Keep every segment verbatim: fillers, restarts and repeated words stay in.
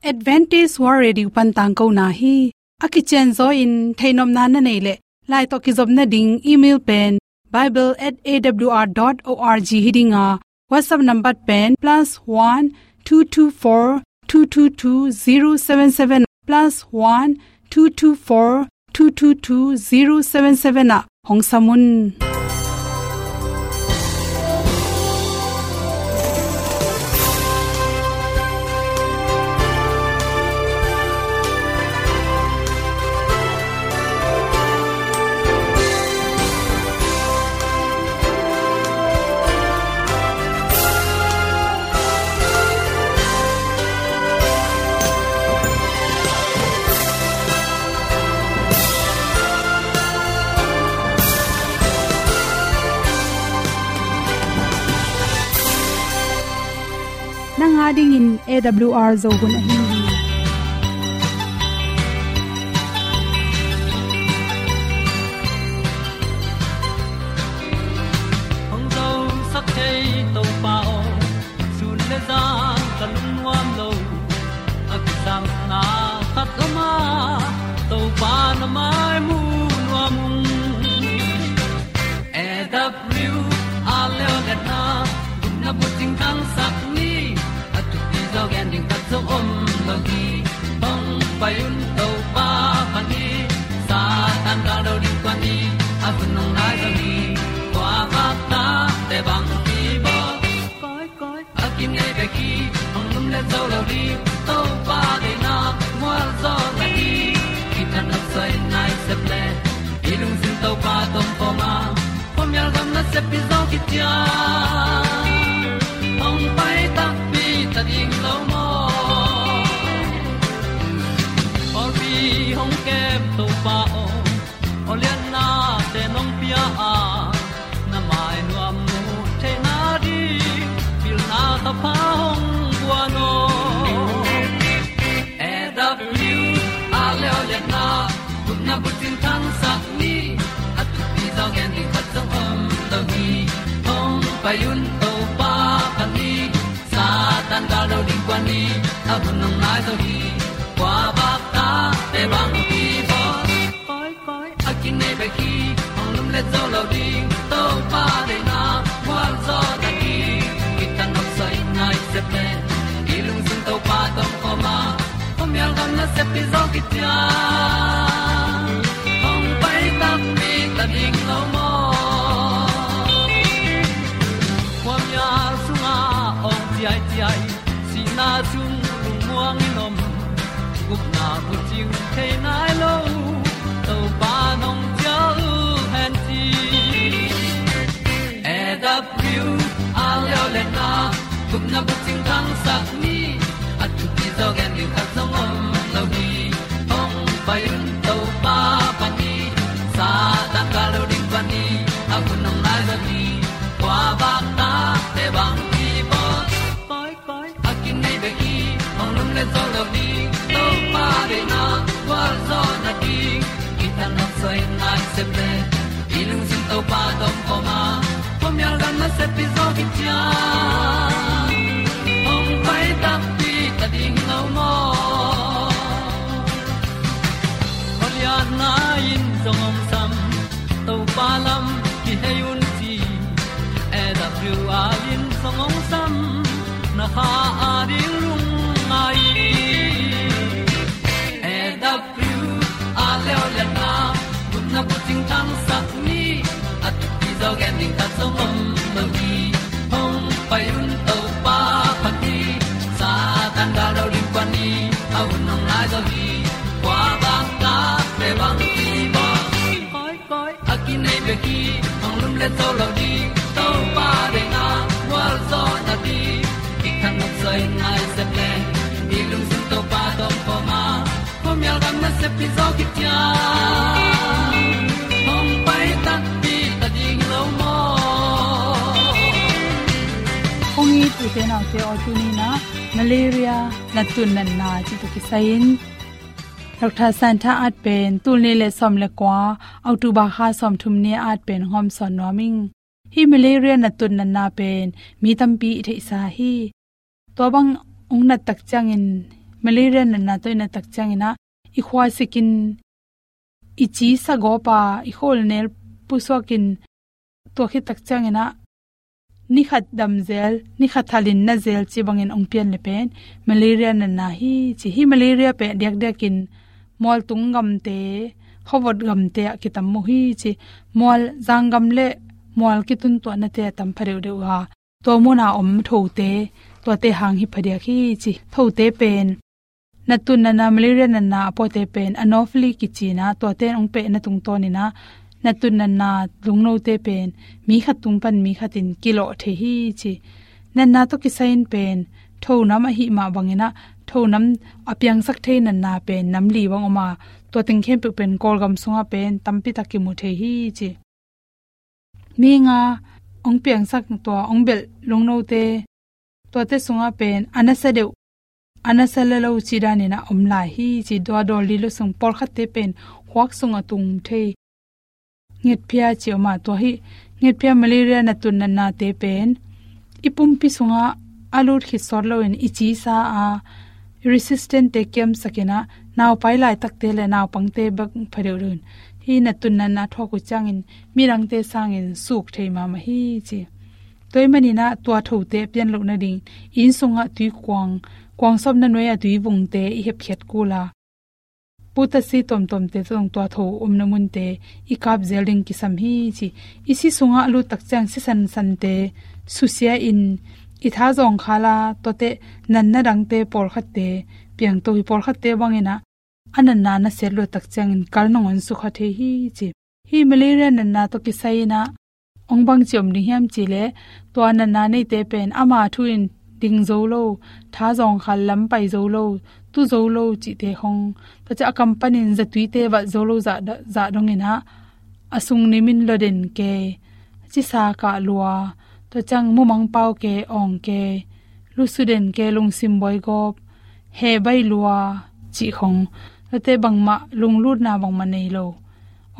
Adventist World Radio pan tangkona hi. A kicianzaw in theihnopna na neih leh, lai tawh kizopna ding email pen bible at A W R dot org hi ding a, WhatsApp number pen plus one two two four two two two zero seven seven, plus one two two four two two two zero seven seven ah hong sam un. Nang a dingin A W R Zo hun ahi hi. Hong zosak thei Topa aw, sun le zan ka lungnuam lo. A kisapna khat om a, Topa na mai mu nuam ung. A W R Leo le na, gupna bucing khangsak ni, a thupi zaw gen ding khat zong om lo hi. Hong pai un Topa pan hi, Satan gal do ding kua ni, a hun hong nai zaw hi. Kua bak ta te bang hi baw. Koi, koi, a kinei bek hi, hong lum le zo lo ding, Topa deihna mual zaw na hi. Kitang a soi nai sep le, i lungsim Topa tawh kawm a, khuamial gam nasep pi zaw kician. Hong pai takpi ta ding lo maw? Pawlpi hong kem Topa aw, aw liannate nong pia a, na mai nuam mu theihna ding, pilna thapha hong guan aw. A W R Leo le na, gupna bucing khangsak ni, a thupi zaw gen ding khat zong om lo hi. Hong pai un Topa pan hi, Satan gal do ding kua ni, a hun hong nai zaw hi. Kua bak ta te bang hi baw. Koi, koi, a kinei bek hi, hong lum le zo lo ding, Topa deihna mual zaw na hi. Kitang a soi nai sep le, i lungsim Topa tawh kawm a, khuamial gam nasep pi zaw kician. Hong pai takpi ta ding lo maw? Khuamial sungah awng ciaiciai, sihna sung lungmuang in om, gupna bucing thei nai lo, Topa nong cial hen ci. A W R Leo le na, gupna bucing khangsak ni, a thupi zaw gen ding khat zong om lo hi. Hong pai un Topa pan hi, Satan gal do ding pan hi, a hun hong nai zaw hi. Kua bak ta te bang hi baw. Koi, koi, a kinei bek hi, hong lum le zo lo ding, Topa deihna gual zaw na ding. Kitang a soi nai sep le, i lungsim Topa tawh kawm a, khuamial gam nasep pi zaw kician. Hong pai takpi ta ding lo maw? Khualiatna in zong hong sam, Topa lam kihei un ci. A W R in zong hong sam, na kha a ding lungngai. A W R Leo le na, gupna bucing khangsak ni, a thupi zaw gen ding khat zong om lo hi. Hong pai un Topa pan hi, Satan gal do ding kua ni, a hun hong nai zaw hi. Kua bak ta te bang hi baw. Koi, koi, a kinei bek hi, hong lum le zo lo ding, Topa deihna gual zaw na ding. Kitang a soi nai sep le, i lungsim Topa tawh kawm a, khuamial gam nasep pi zaw kician. Hong pai takpi ta ding lo maw? Hong it u te nau te aw, tuni in ah malaria natna natna cih tawh kisai in Doctor Santa at pen tul nih le sawm le kua, October kha sawmthum ni at pen hong hawmsawn nuam ing. Hih malaria natna natna pen mi tampi i theihsa hi. Tua bang hong nat tak ciangin malaria natna tawh i nat tak ciangin ah i khua sikin, i ci sa gawp a, i khawlnel pusuakin, tua khit tak ciangin ah ni khat dam zel, ni khat halin na zel ci bangin hong pian le pen malaria natna hi ci. Hih malaria pen diakdiakin mualtung gamte, khuavot gamte ah kitam uh hi ci. Mual, zanggam le mual kituntuahnate a tam pha deuhdeuh a, tua muna om thote, tuate hang hi phadiak hi ci. Thote pen, natna natna, malaria natna a puate pen Anopheles kici-in ah, tuate in hong pehna tungtawnin ah natna natna lungnote pen mi khat tung pan mi khat in kilawh thei hi ci. Natna tawh kisai-in pen thonam ahih mah bangin ah, thonam a piangsak thei natna pen nam li bang om a, tua teng khempeuh pen Kawlgam sungah pen tampi tak kimu thei hi ci. Mi nga hong piangsak, tua hong belh lungnote, tuate sungah pen a nasa deuh, a nasa lelo cih danin ah om lai hi ci. Tua dawl lilo sung pawlkhatte pen khuak sungah tung thei, ngetphia ci om a, tua hih ngetphia malaria natna natnate pen i pumpi sungah a lut khit sawt loin i ci sa a, resistant-te kiamsakin ah, naupai laitakte le naupangte bek pha deuhdeuh in hih natna natna thuak uh ciangin midangte sangin suk thei mahmah hi ci. Tua ahih manin ah tua thote a pian loh nading, inn sungah tui kuang, kuang sawpna nuai a tui vungte i hepkhiat kul a, putasi tuamtuamte tawh tua tho omna munte i kap zel ding kisam hi ci. I si sungah a lut tak ciang si sansante susia-in i tha zawngkhal a, tuate natna dangte pawlkhatte piangto hi. Pawlkhatte bangin ah a natna na siat luat tak ciangin kal nangawn sukha thei hi ci. Hih malaria natna tawh kisai-in ah hong bangci om ding hiam cih leh, tua natna neite pen ama thu-in ding zo lo, tha zawngkhal lam pai zo lo, tu zo lo cihte khong, tua ciang a kam panin zatuite valh zo lo zah, zah dongin ah, a sung nimin lua den kei, cisa kah lua, tua ciang mumang pau kei, awng kei, lusu den kei, lungsim buai gawp, heh bai lua cih khong, tuate bangmah lunglutna bangmah nei lo,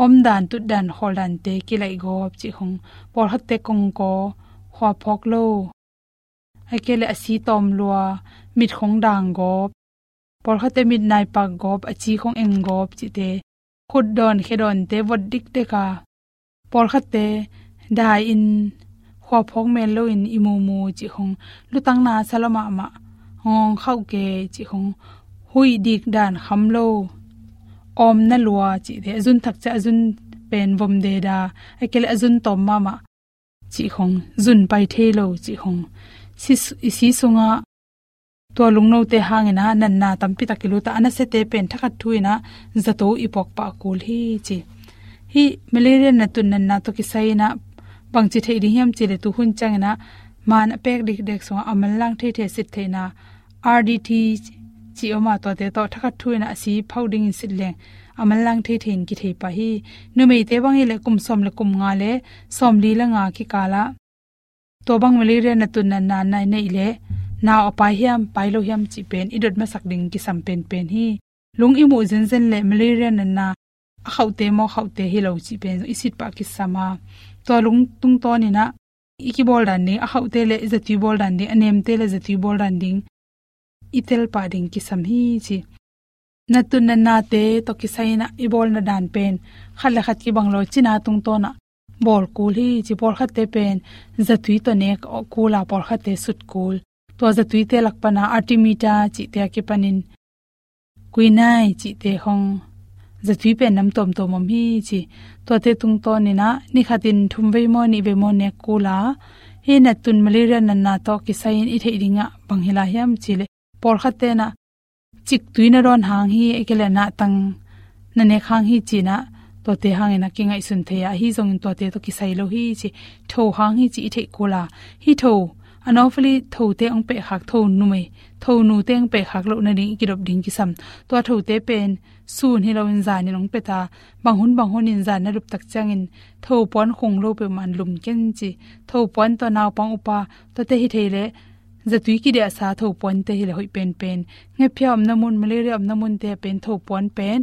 omdan, tutdan, khawldante kilaih gawp cih khong, pawlkhatte kongkaw, khua phawk lo, ahih kei leh a si tawm lua, mit khong dang gawp, pawlkhatte mit naipak gawp, a ci khong eng gawp cihte, khut dawn khe dawnte vot dikdek a, pawlkhatte dai-in, khua phawk mel loin i mumu cih khong, lutang na sa lua mahmah, ngawng khauh kei cih khong, huih dik dan kham lo, awmna lua cihte, a zun thak ciang a zun pen vom deda, ahih kei leh a zun tawm mahmah cih khong, zun pai thei lo cih khong, si, i si sungah tua lungnote hangin ah natna tampi tak i lut a, a nasiate pen thakhat thu-in ah zato i puak pah kul hi ci. Hih malaria natna natna tawh kisai-in ah bangci theih ding hiam cih leh, tu hun ciangin ah man a pek dikdek sungah a manlang theithei a sit theihna, R D T cih om a, tuate tawh thakhat thu-in ah a si phauh dingin sit leng a manlang theithei in kithei pah hi. Numeite bang hi leh kum sawm le kum nga le sawmli le nga kikal ah tua bang malaria natna natna na neih leh, nau a pai hiam, pai lo hiam cih pen i dot masak ding kisam penpen hi. Lung i muh zenzen leh malaria natna, a khauhte maw, khauhte hi lo cih pen i sit pah kisam a, tua lung tungtawnin ah i kibawl dan ding, a khauhte leh zatui bawl dan ding, a nemte leh zatui bawl dan ding i tel pah ding kisam hi ci. Natna natnate tawh kisai-in ah i bawlna dan pen khat le khat kibang lo, cina tungtawn ah bawl kul hi ci. Pawlkhatte pen zatui tawh nek kul a, pawlkhatte sut kul. Tua zatuite lak pan ah artemether cihte a kipanin quinine cihte khong, zatui pen nam tuamtuam om hi ci. Tuate tungtawnin ah ni khatin thum vei maw, nih vei maw nek kul a, hih natna malaria natna tawh kisai-in i theih ding ah bang hi lai hiam cih leh, pawlkhatte'n ah ciktui na dawn hang hi, ahih kei leh nahtang na nek hang hi ci-in ah, tuate hangin ah kingaihsun thei a, ahi zongin tuate tawh kisai lo hi ci. Tho hang hi ci i theih kul a, hih tho, Anopheles thote hong pehkhak, tho numei, tho nute hong pehkhak loh nading i kidop ding kisam. Tua thote pen sun hi loin zanin hong pia ta, bang hun bang hunin zan na dup tak ciangin tho puan khung lo peuhmah in lum ken ci. Tho puan tawh naupang upa, tuate hi thei leh, zatui kidiahsa tho puante hi leh hoih penpen. Ngetphia omna mun, malaria omna munte ah pen tho puan pen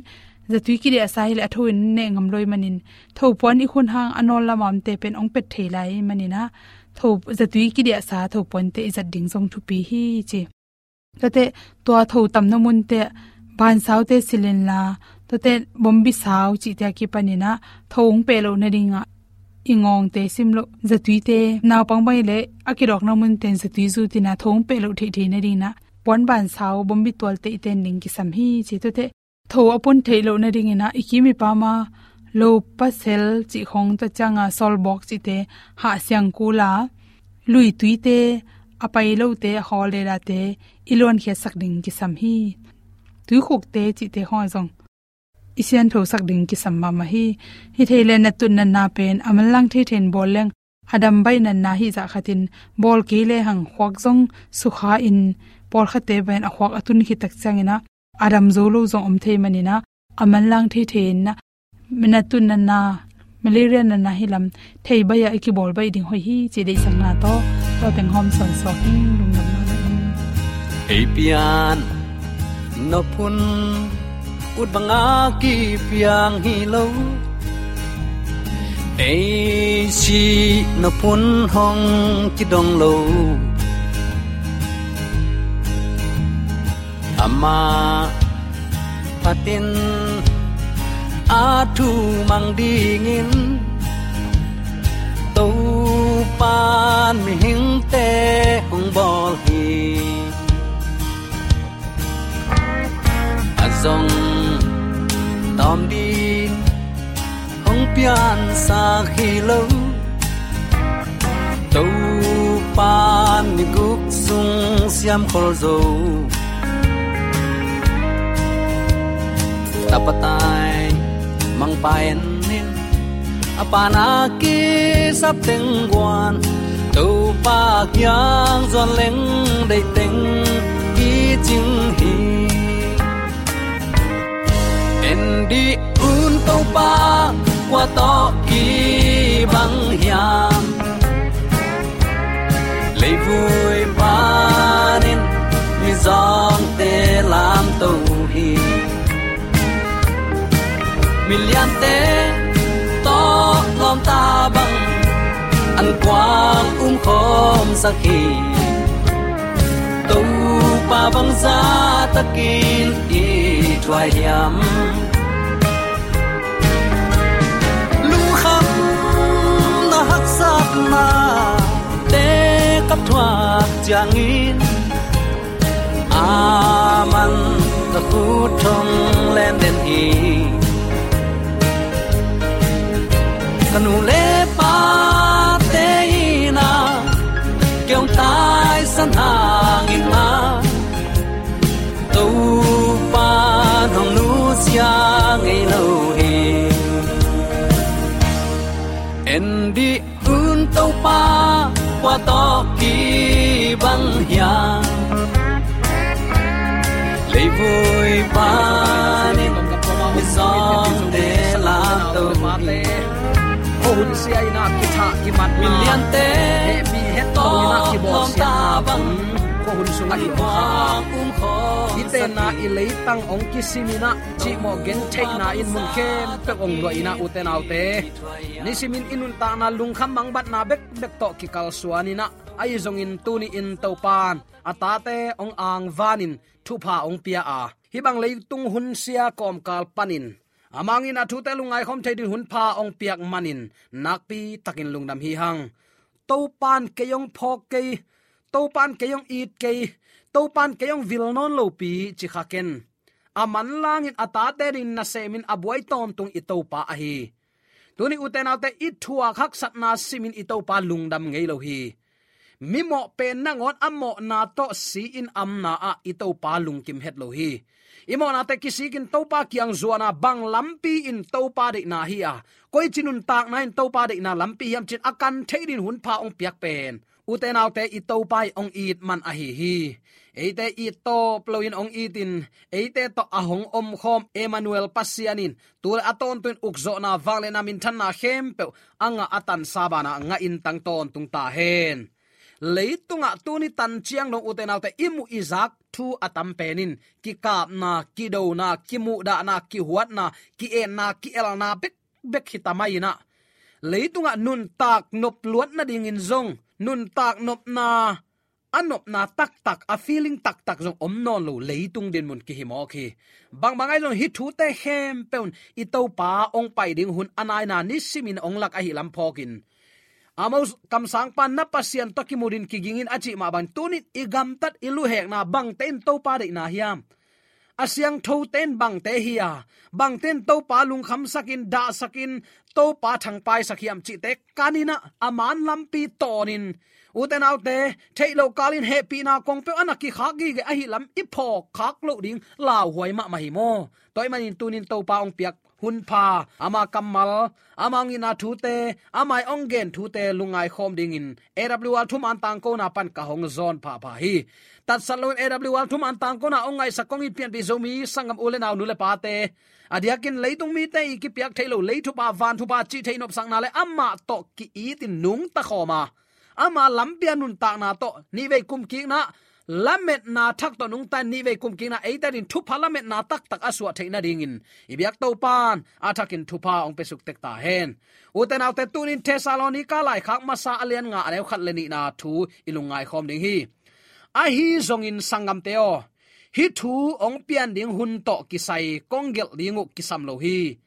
zatui kidiahsa hi leh a tho in neh ngam lo ahih manin, tho puan i khut hang a nawl lam a omte pen hong pet thei lai ahih manin ah, tho, zatui kidiahsa tho puante i zat ding zong thupi hi ci. Tuate tua tho tamna munte bansaute silh inla, tuate bombi sau cihte a kipaninah tho hong peh loh nadingah i ngawngte sim loh, zatuite, naupang bang i leh a kidawkna munten zatui zutinah tho hong peh loh theihthei nadinah puan bansau bombi tualte i ten ding kisam hi ci. Tuate tho a pun theih loh nadinginah i kim i pama lo pasel cih khong, tua cianga sawlbawk cihte hah siang kula, lui tuite, a pai lote, a hawl dedate i luankhiatsak ding kisam hi. Tuikhukte cihte khong a zong i sianthosak ding kisam mahmah hi. Hi thei le natut natna pen a manlang thei thei in bawl leng a dam baih natna hi zah khatin bawl kei le hang khuak zong sukha in pawlkhatte bangin a khuak a tun khit tak cianginah a dam zo lo zong om thei maninah a manlang thei thei inah natut natna, malaria natna hi lam thei baih a i kibawl baih ding hoih hi ci deihsakna tawh tua teng hawm sawnsuak hi. Lungdamna. Ei pian nop hun ut banga kipiang hi lo, ei sih nop hun hong kidong lo. Amah phatin a thu mang dingin Topan mihingte hong bawl hi. A zong tawm ding hong piansak hi lo, Topan ni guk sung siam khol zo. Tapa tai mangpa en in, a pana kisap teng guan, Topa kiang zuan leng deih teng kicing hi. En dih un Topa kua tawh kibang hiam? Leivui panin mizawngte lamto hi. Miliante tawh lawmta bang an kuang umkhawmsak hi. Topa bangzah takin i thuai hiam? Lungkhamna haksatna te ka thuak ciangin, aman ka khut thong len den hi. Ka nu le pate in a kei hong taisan hangin a, Topa hong nusia ngei lo hi. En dih un Topa kua tawh kibang hiam? Leivui panin mizawngte lamto hi. Khuahun sia in a kithah kimatna, miliante hehpih hetto in a kibawlsiatna bang khuahun sungah i om kha. I tenna i leitang hong kisim in a, cihmawh gentheihna in mun khempeuh hong luah in a, ute naute, nisimin i nuntakna lungkham mangbatna bekbek tawh kikalsuan in a, ahi zongin tuni-in Topan a tate hong angvanin thupha hong pia a, hih bang leitung hunsia kawmkal panin a mangin a thute lungngaikhawm thei ding hunpha hong piak manin nakpi takin lungdam hi hang. Topan kei hong phawk kei, Topan kei hong it kei, Topan kei hong vil nawn lopi ci kha ken. A manlangin a tate ding nasemin a buai tawntung i Topa ahi. Tuni ute naute, i thuak haksatna simin i Topa lungdam ngei lo hi. Mimawh pen nangawn a mawhna tawh si-in amna ah i Topa lungkim het lo hi. I mawhnate kisikin Topa kiang zuana bang lampi in Topa deihna hi a, koici nuntakna in Topa deihna lampi hiam cin a kan theih ding hunpha hong piak pen, ute naute, i Topa i hong it man ahi hi. Eite it tawp loin hong itin, eite tawh a hong omkhawm Emmanuel Pasian in tu le a tawntung in ukzawhna, vangliatna, minthanna khempeuh a ngah a tansa banah ngah in tang tawntung ta hen. Leitungah tuni tan ciang dong ute naute, i muh i zak thu a tam pen in kikapna, kidona, kimuhdahna, kihuatna, ki-etna, ki-elna bek bek hi ta mai in a, leitungah nuntak nop luat nadingin zong, nuntak nopna a nopna taktak, a feeling taktak zong om nawn lo leitung dinmun kihi mawk hi. Bangbang ahi zong hih thute khempeuh in i Topa hong pai ding hun a naina nisimin hong lak ahih lam phawkin, Amos kamsangpa, na Pasian tawh kimu din kiging in a cih mah bang, tunin i gamtat i luhekna bangte in Topa deihna hiam? A siangthote in bangte hi a, bangte in Topa lungkhamsakin, dahsakin, Topa thangpaisak hiam cihte kanin ah, a man lampi tawnin, ute naute, theih loh kalin hehpihna kong peuh a na kikhak gige ahih lam i phawk khak loh ding lauhuai mahmah hi maw? Tua ahih manin tunin Topa hong piak hunpha, ama kammal, ama hong itna thute, ama hong gen thute lungngai khawm dingin A W R thuman tangkona pan ka hong zawn phapha hi. Tatsat loin A W R thuman tangkona hong ngaihsak kong it pianpih Zomi sanggam u le nau, nu le pate, a diakin leitung mite i kipiak theih loh lei thupha, van thupha cih theih nopsakna le amah tawh ki-itin nungta khawm a, ama lampi a nuntakna tawh nihvei kumkikna, lametna thak tawh nungta in nihvei kumkikna eite adingin thupha lametna taktak a suah theih nadingin i biak Topan a thakin thupha hong piasuk tek ta hen. Ute naute, tunin Thessalonika laikhak masa a lian nga, a neu khat le nihna thu i lungngai khawm ding hi. Ahi zongin sanggamte aw, hih thu hong pian ding hun tawh kisai kong gelh ding uh kisam lo hi.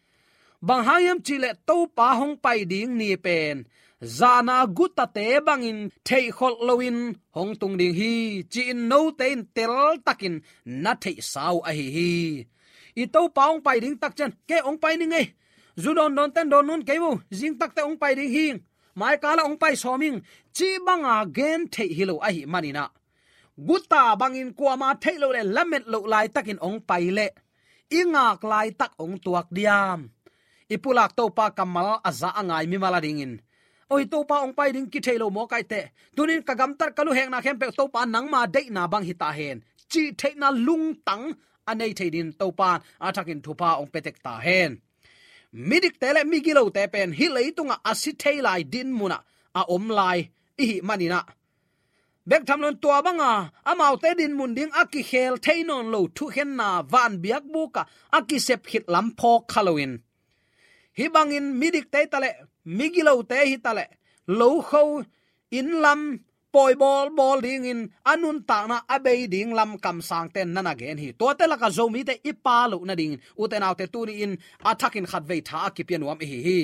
Bang hang hiam cihleh Topa hong pai ding ni pen zana gutate bangin theihkholh loin hong tung ding hi, ci-in note in teltakin na theihsa uh ahi hi. I Topa hong pai ding tak ciang, kei hong pai ning ei, zu dawndawnte in dawn nawn kei vo, zingtakte hong pai ding hi, maikala hong pai sawm ing, cih banga gen theih hi lo ahih manin ah, guta bangin kuama theih loh le lamet loh laitakin hong pai leh i ngak laitak hong tuak diam? I pulak Topa kammal a za a ngai mimal adingin, oi, Topa hong pai ding kithei lo mawk ahih teh, tunin ka gamtat ka luhekna khempeuh Topa nangma deihna bang hi ta hen, cih theihna lungtang a nei thei dingin Topa a thakin thupha hong pia tek ta hen. Midikte le migilote pen hih leitungah a si thei lai dinmunah a om lai i hih manin ah, bek tham loin tua banga amaute dinmun ding a kikhel thei nawn lo thukhenna van biakbukah a kisep khit lam phawk kha loin, hih bangin midikte hi taleh, migilote hi taleh, lokho, inn lam pawi bawlbawl dingin a nuntakna a bei ding lam kamsangte in na na gen hi. Tuate lakah Zomite i pha loh nadingin, ute naute, tuni-in a thakin khatvei tha a kipia nuam i hi hi.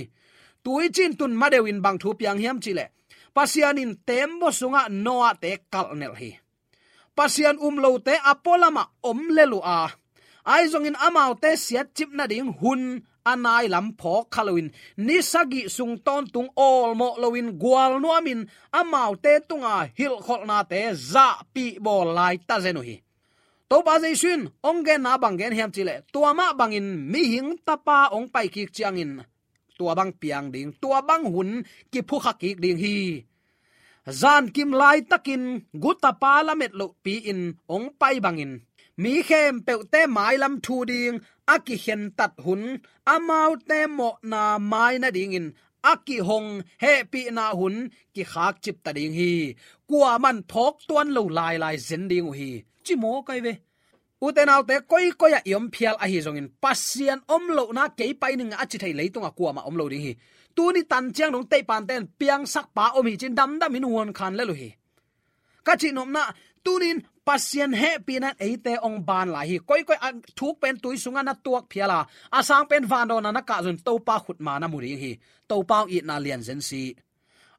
Tuicin tun madeuin bang thu piang hiam cihleh, Pasian in teembaw sungah Noah-te kalhnelh hi. Pasian um lote a pualamah om lel uh a, ahi zongin amaute siatcip nading hun a nai lam phawk kha loin, ni sagih sung tawntung awlmawh loin gualnuamin amaute tunga hilhkholhnate zahpih bawl lai tazen uh hi. Topa Jesu in hong genna bang gen hiam cihleh, tua mah bangin mihing tapa hong paikik ciangin tua bang piang ding, tua bang hun kiphukha kik ding hi. Zankim laitakin gutapa lamet lohpi-in hong pai bangin, mi khempeuhte mailam thu ding a kikhentat hun, amaute mawhna mai nadingin a kihong hehpihna hun kikhakcip ta ding hi. Kuaman phawk tuan lo lailai zen ding uh hi, ci mawk ai ve. Ute naute, koikoi-ah i om phial ahi zongin, Pasian om lohna kei pai ning a ci thei leitungah kuamah om lo ding hi. Tuni tan ciang dong teihpante in piangsakpa om hi ci-in damdamin huankhan lel uh hi. Ka cihnopna, tunin Pasian hehpihna in eite hong ban lai hi. Koikoi a thuk pen tui sungah na tuak phial a, a sang pen vandawnna na kah zongin Topa khutma na mu ding hi. Topa hong itna lian zen si.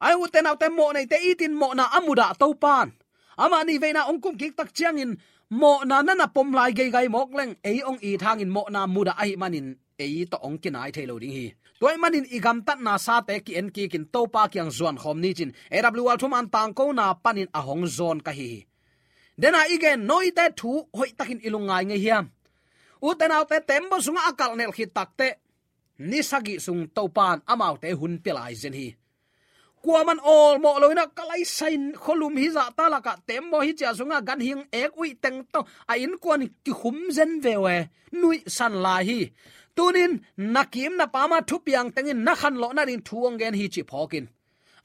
Ai ute naute, mawhneite itin mawhna a mudah Topan, amah nihveina hong kumkik tak ciangin mawhna na na pom lai geigai mawk leng, ei hong it hangin mawhna mudah ahih manin ei tawh hong kinai thei lo ding hi. Tua ahih manin i gamtatna sate ki-en kikin Topa kiang zuan khawm ni ci-in A W R thuman tangkona panin a hong zawn ka hi hi. Dena i gen noite thu hoihtakin i lungngai ngei hiam? Ute naute, teembaw sungah a kalhnelh khit takteh ni sagih sung Topan amaute hun pia lai zen hi. Kuaman awlmawh loin ah, ka laisa in khualum hizahta lakah teembaw hi cia sungah ganhing ek uih teng tawh a innkuan kikhum zen veu e, nuihsan lai hi. Tunin na kim na pama thupiang tengin na khanlawh nading thu hong gen hi cih phawkin,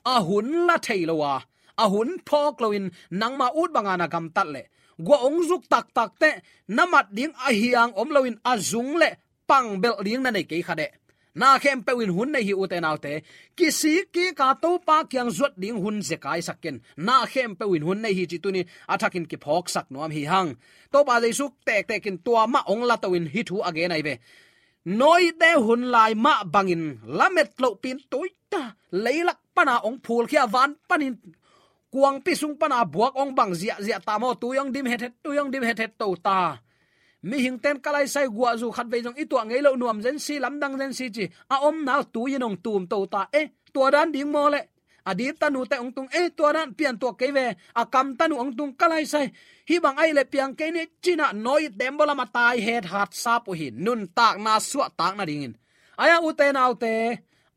a hun la thei lo a, a hun phawk loin nangma ut banga na gamtat leh, gua hong zuk taktakteh na mat ding a hiang om loin a zung le pang belh ding na nei kei kha deh. Na khempeuh in hun nei hi, ute naute. Kisik kik a Topa kiang zuat ding hun zekai sak ken. Na khempeuh in hun nei hi cih tuni a thakin kiphawksak nuam hi hang. Topa Jesu tektek in tua mah hong la to in hih thu a gen ahi ve. Noah te hun lai mah bangin lamet lohpi in tuita, leilak pana hong phulkhia, van panin kuangpi sung pana buak hong bang ziahziah ta maw, tui hong dim hethet, tui hong dim hethet to ta. Mihing ten ka laisai guahzu khat vei zong i tuah ngei loh, nuam zen si, lamdang zen si ci a omna uh tui in hong tum to ta. Eh, tua dan ding maw leh? A dip tanu te hong tung, eh, tua dan pian tuak kei ve, a kam tanu hong tung ka laisai. Hih bang ahih leh piang kei ni ci-in ah Noah tembaw lam a tai het hat sap uh hi, nuntakna suahtak nadingin. Ahi a, ute naute,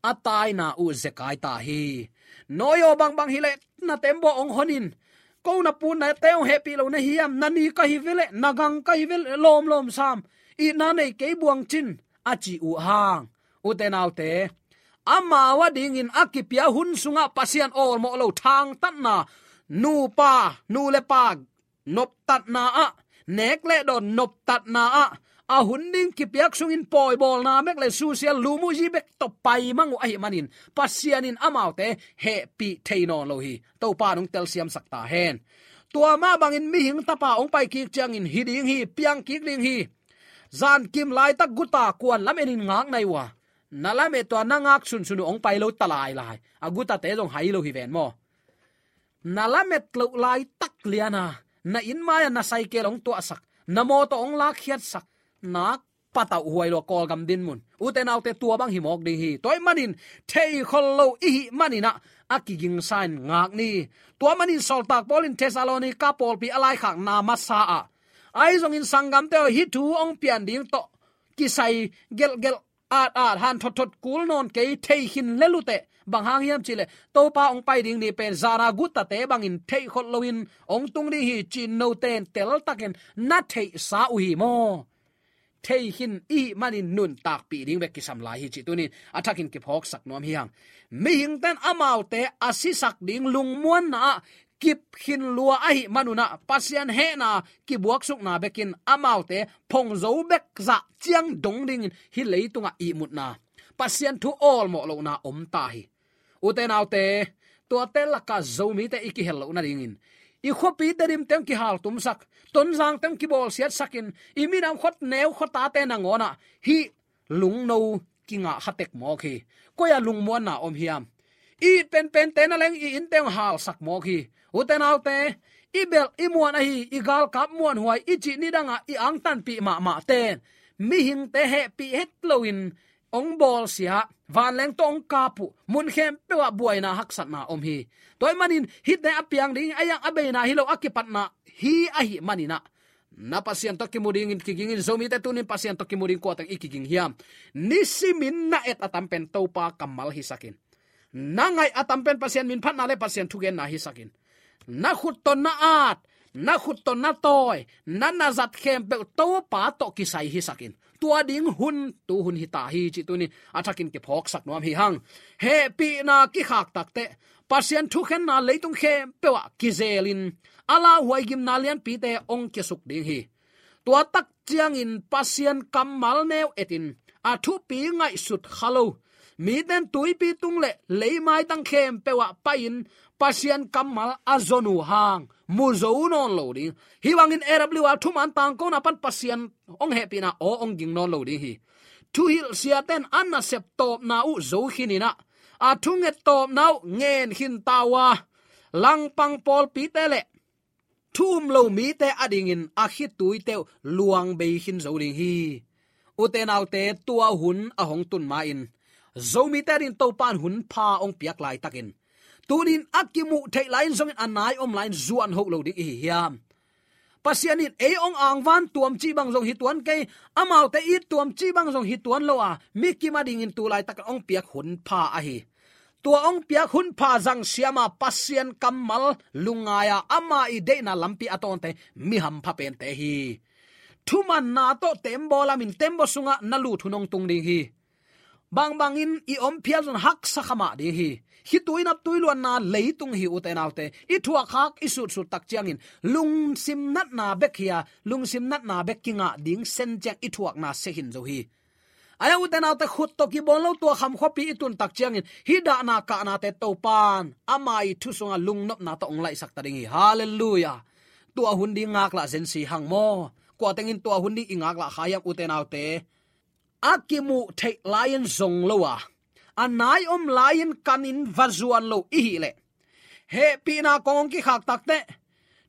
a taina uh zekai ta hi. Noah aw, bangbang hi leh na tembaw hong hon in, ko na pu na te hong hehpih lo na hiam? Na ni ka hi ve leh, na gang ka hi ve leh, lawmlawm sam, itna nei kei buang cin, a ci uh hang. Ute naute, amau adingin a kipia hun sungah Pasian awlmawh lo thangtatna, nupa, nu le pa noptatna ah, nek le dawn noptatna ah, a hun ding kipiak sungin pawibawlna bek le susia lumuhzi bek tawh paimang uh ahih manin, Pasian in amaute hehpih thei nawn lo hi. Topa in hong telsiamsak ta hen. Tua mah bangin mihing tapa hong pai kik ciangin hi ding hi, piang kik ding hi. Zankim laitak guta kuan lam enin ngak nai uh a, na lamet uh a, na ngak sunsun uh hong pai lo ta lailai. A gutate zong hai lo hi ven maw. Na lamet loh laitak liana na inn mai-ah na saikel hong tuahsak, na mawtaw hong lakkhiatsak, nak patauh huai lo a Kawlgam dinmun. Ute naute, tua bang hi mawk ding hi. Tua ahih manin theikhol lo i hih manin ah a kigingsa in ngak ni. Tua manin sawltak Paul in Thessalonika pawlpi a laikhakna masa ah, ahi zongin sanggamte aw, hih thu hong pian ding tawh kisai gelhgelh, at-at, han thotthot kul nawn kei, thei khin lel uh teh. Bang hang hiam cih leh, Topa hong pai ding ni pen zan a gutate bangin theikhol loin hong tung ding hi, ci-in note in teltakin na theihsa uh hi maw. Thei khin i hih manin nuntakpih ding bek kisam lai hi, cih tuni-in a thakin kiphawksak nuam hi hang. Mihingte in amaute a sisak ding lungmuanna ah kip khin lua ahih manun ah, Pasian hehna kibuaksukna bekin amaute phongzo bek zah ciang dong dingin hih leitungah ihmutna, Pasian thu awlmawh lohna om ta hi. Ute naute, tuate lakah Zomite i kihel loh nadingin, i khuapite dimteng kihaltumsak, Tonzangteng kibawlsiatsakin, i minam khuaneu khuatate nangawnah hih lungno kingah kha tek mawk hi. Koi-ah lungmuanna om hiam? I it penpente na leng i innte hong halsak mawk hi. Ute naute, i belh i muan ahi, i galkap muanhuai i cih nidangah i angtanpih mahmahte in mihingte hehpih het loin hong bawlsia, vanleng tawh hong kap uh, mun khempeuh ah buaina haksatna om hi. Tua ahih manin hihte a piang ding, a iang a beina hi lo, a kipatna hi ahih manin ah, na Pasian tawh kimu dingin kigingin. Zomite tuni-in Pasian tawh kimu ding kuateng i kiging hiam? Nisimin na et a tam pen Topa kammal hisakin, na ngaih a tam pen Pasian minphatna le Pasian thugenna hisakin, na khut tawh na at, na khut tawh na tawi, na na zat khempeuh Topa tawh kisai hisakin, tua ding hun tu hun hi ta hi, cih tuni-in a thakin kiphawksak nuam hi hang. Hehpihna kikhak takteh Pasian thukhenna leitung khempeuh ah kizelin, a lauhuai gimna lianpite hong kisuk ding hi. Tua tak ciangin Pasian kammal neu etin, a thupi ngaihsut kha lo mite in tuipi tung le leimaitang khempeuh ah pai-in Pasian kammal a zon uh hang mu zo nawn lo ding. Hih bangin A W R thuman tangkona pan Pasian hong hehpihna aw hong ging nawn lo ding hi. Thuhilh siate in a nasep tawpna uh zo khin in ah, a thunget tawpna uh ngen khin ta uh a, langpang pawlpite le thu um lo mite adingin a khituite uh luang bei khin zo ding hi. Ute naute, tua hun a hong tun ma-in Zomite adingin Topa in hun pha hong piak laitakin, tuni-in a kimuh theih lai-in zongin a nai om lai-in zuan hoh lo ding i hi hiam? Pasian in ei hong angvan tuam cih bang zong hi tuan kei, amaute it tuam cih bang zong hi tuan lo a, mikim adingin tu laitakin hong piak hun pha ahi. Tua hong piak hun pha zangsiam a, Pasian kammal lungngai a, ama i deihna lampi a tawnte mi hampha pente hi. Thumanna tawh tembaw lamin tembaw sungah na lut hun hong tung ding hi. Bangbangin i om phial zong haksa kha mah ding hi. Khitui naptui luanna leitung hi, ute naute. I thuak khak i sutsut tak ciangin lungsim natna bek hi a, lungsim natna bek kingah ding sen ciang i thuakna sia khin zo hi. Ahi a, ute naute, khut tawh kibawl lo tua kham khuapi i tun tak ciangin hih dahna kahnate Topa'n ama i thu sungah lungnopna tawh hong laihsak ta ding hi. Halleluiah. Tua hun ding ngaklah zen si hang maw? Kua tengin tua hun ding i ngaklah kha hiam, ute naute? A kimuh theih lai-in zong lo a, a nai om lai-in kanin va zuan lo i hih leh, hehpihna kong hong kikhak takteh,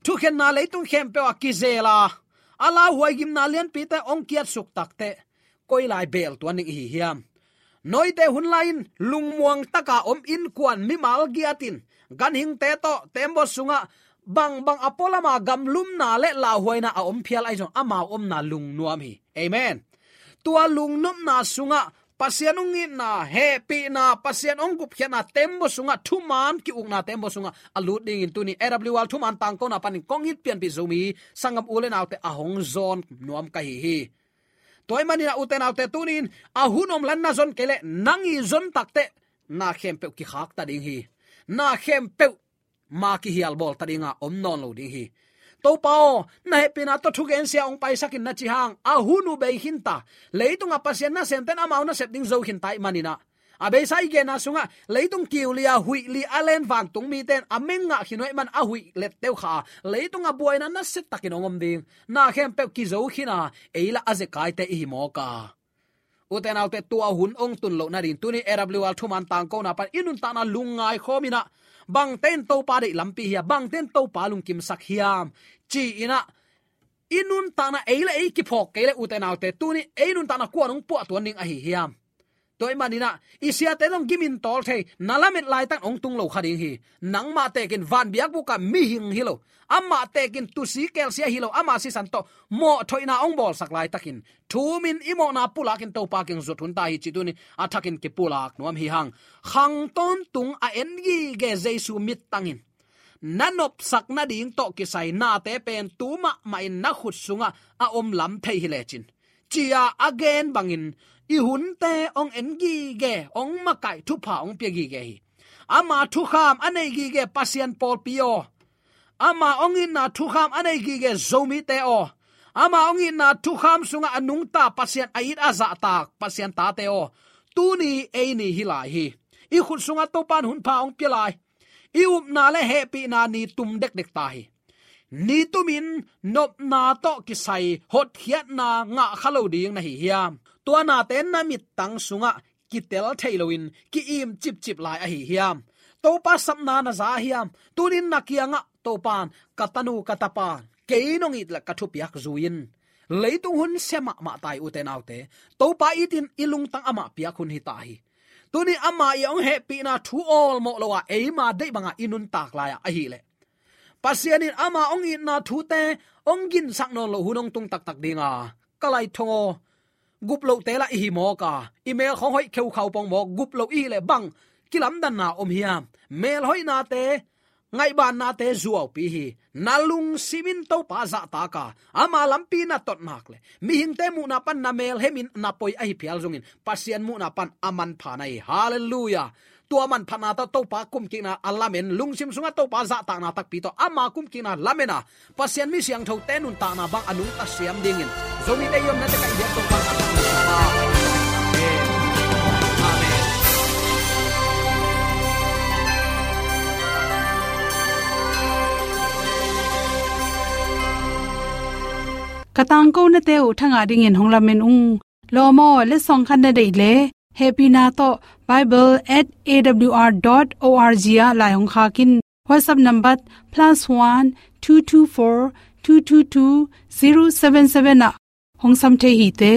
thukhenna leitung khempeuh ah kizel a, a lauhuai gimna lianpite hong kiatsuk takteh, koi lai beel tuan ding i hi hiam? Noite hun lai-in lungmuang taka om innkuan mimal giatin, ganhingte tawh tembaw sungah bangbang a pualama gamlumna le lauhuaina a om phial ahi zong, amau omna lungnuam hi. Amen. Tua lungnopna sungah Pasian hong itna, hehpihna, Pasian hong gupkhiatna tembaw sungah, thuman ki-ukna tembaw sungah a lut dingin tuni A W R Thuman Tangkona panin kong it pianpih Zomi sanggam u le naute a hong zawn nuam ka hi hi. Tua ahih manin ah, ute naute, tuni-in a hun om lai-in na zon kei leh, nang i zon takteh na khempeuh kikhak ta ding hi. Na khempeuh ma kihial bawl ta ding a, om nawn lo ding hi. Topa aw, na hehpihna tawh thugensia hong paisak in, na ci hang, a hun uh bei khin ta. Leitungah Pasian nasemte'n amau nasep ding zo khin ta ahih manin ah, a beisa i genna sungah leitung kiu li a, huih li a len vantung mite'n a meng ngah khin uh ahih man a huih lette uh kha a, leitungah buaina nasia takin hong om ding. Na khempeuh kizo khin a, ei lah a zekaite i hi mawk a. Ute naute, tua hun hong tun loh nading tuni A W R Thuman Tangkona pan i nuntakna lungngai khawm in ah, bangte in Topa deih lampi hiam, bangte in Topa lungkimsak hiam ci-in ah, i nuntakna ei le ei kiphawk kei leh, ute naute, tuni ei nuntakna kua'n hong puah tuan ding ahi hiam? Tua ahih manin ah, i siate zong gimin tawl thei, na lamet laitak hong tung lo kha ding hi. Nangmah tekin van biakbuk ah mihing hi lo, amah tekin tusi kelsia hi lo, ama sisan tawh mawhthoihna hong bawlsak laitakin, thumin i mawhna pulakin Topa kiang zut hun ta hi cih tuni a thakin kipulak nuam hi hang. Khang tawntung a en gige Jesu mittangin na nopsak nading tawh kisai nate pen tu mahmah in na khut sungah a om lam thei hi lecin, ci-a a gen bangin i hunte hong en gige, hong makaih, thupha hong pia gige hi. Ama thukham a nei gige Pasian pawlpi aw, ama hong itna thukham a nei gige Zomite aw, ama hong itna thukham sungah a nungta Pasian, a it a zahtak Pasian tate aw, tuni ei ni hi lai hi. I khut sungah Topa'n hunpha hong pia lai. I upna le hehpihna ni tum dekdek ta hi. Ni tumin nopna tawh kisai hotkhiatna ngah kha lo ding na hi hiam? Tua nate na mittang sungah kitel thei loin ki-im cipcip lai ahi hiam? Topa sapna na za hiam? Tunin na kiangah Topa'n, ka tanu ka tapa, kei nong it leh ka thupiak zui in. Leitung hun sia mahmah ta hi, ute naute. Topa itin i lungtang amah piak hun hi ta hi. Tuni ama i hong hehpihna thu awlmawh lo a, eima deih banga i nuntak lai-a ahih leh, Pasian in ama hong itna thute hong ginsak nawn loh hun hong tung taktak ding a, ka laithong aw, gup lohte lah i hi mawk a, i mel khawng hoih kheukhau pong mawk, gup loh i hih leh bang kilamdanna om hiam? Mel hoihnate, ngaihbannate zuaupi hi. Na lungsim in Topa zahtak a, ama lampi na tot nak leh, mihingte muhna pan na mel hemin na poi ahi phial zongin, Pasian muhna pan a manpha na hi. Halleluiah. Tua manphatna tawh Topa kumkikna a lamen, lungsim sungah Topa zahtakna takpi tawh ama kumkikna lamen a, Pasian mi siangthote nuntakna bang a nungta siam dingin, Zomite i omna teng ah i biak Topa. Amen. Amen. Ka tangkonate uh thangah dingin hong lamen ung. Lawm aw, letsong khat na deih leh, hehpihna tawh bible at A W R dot O R G ah lai hong khak in. WhatsApp number plus one two two four two two two zero seven seven ah hong sam thei hi te.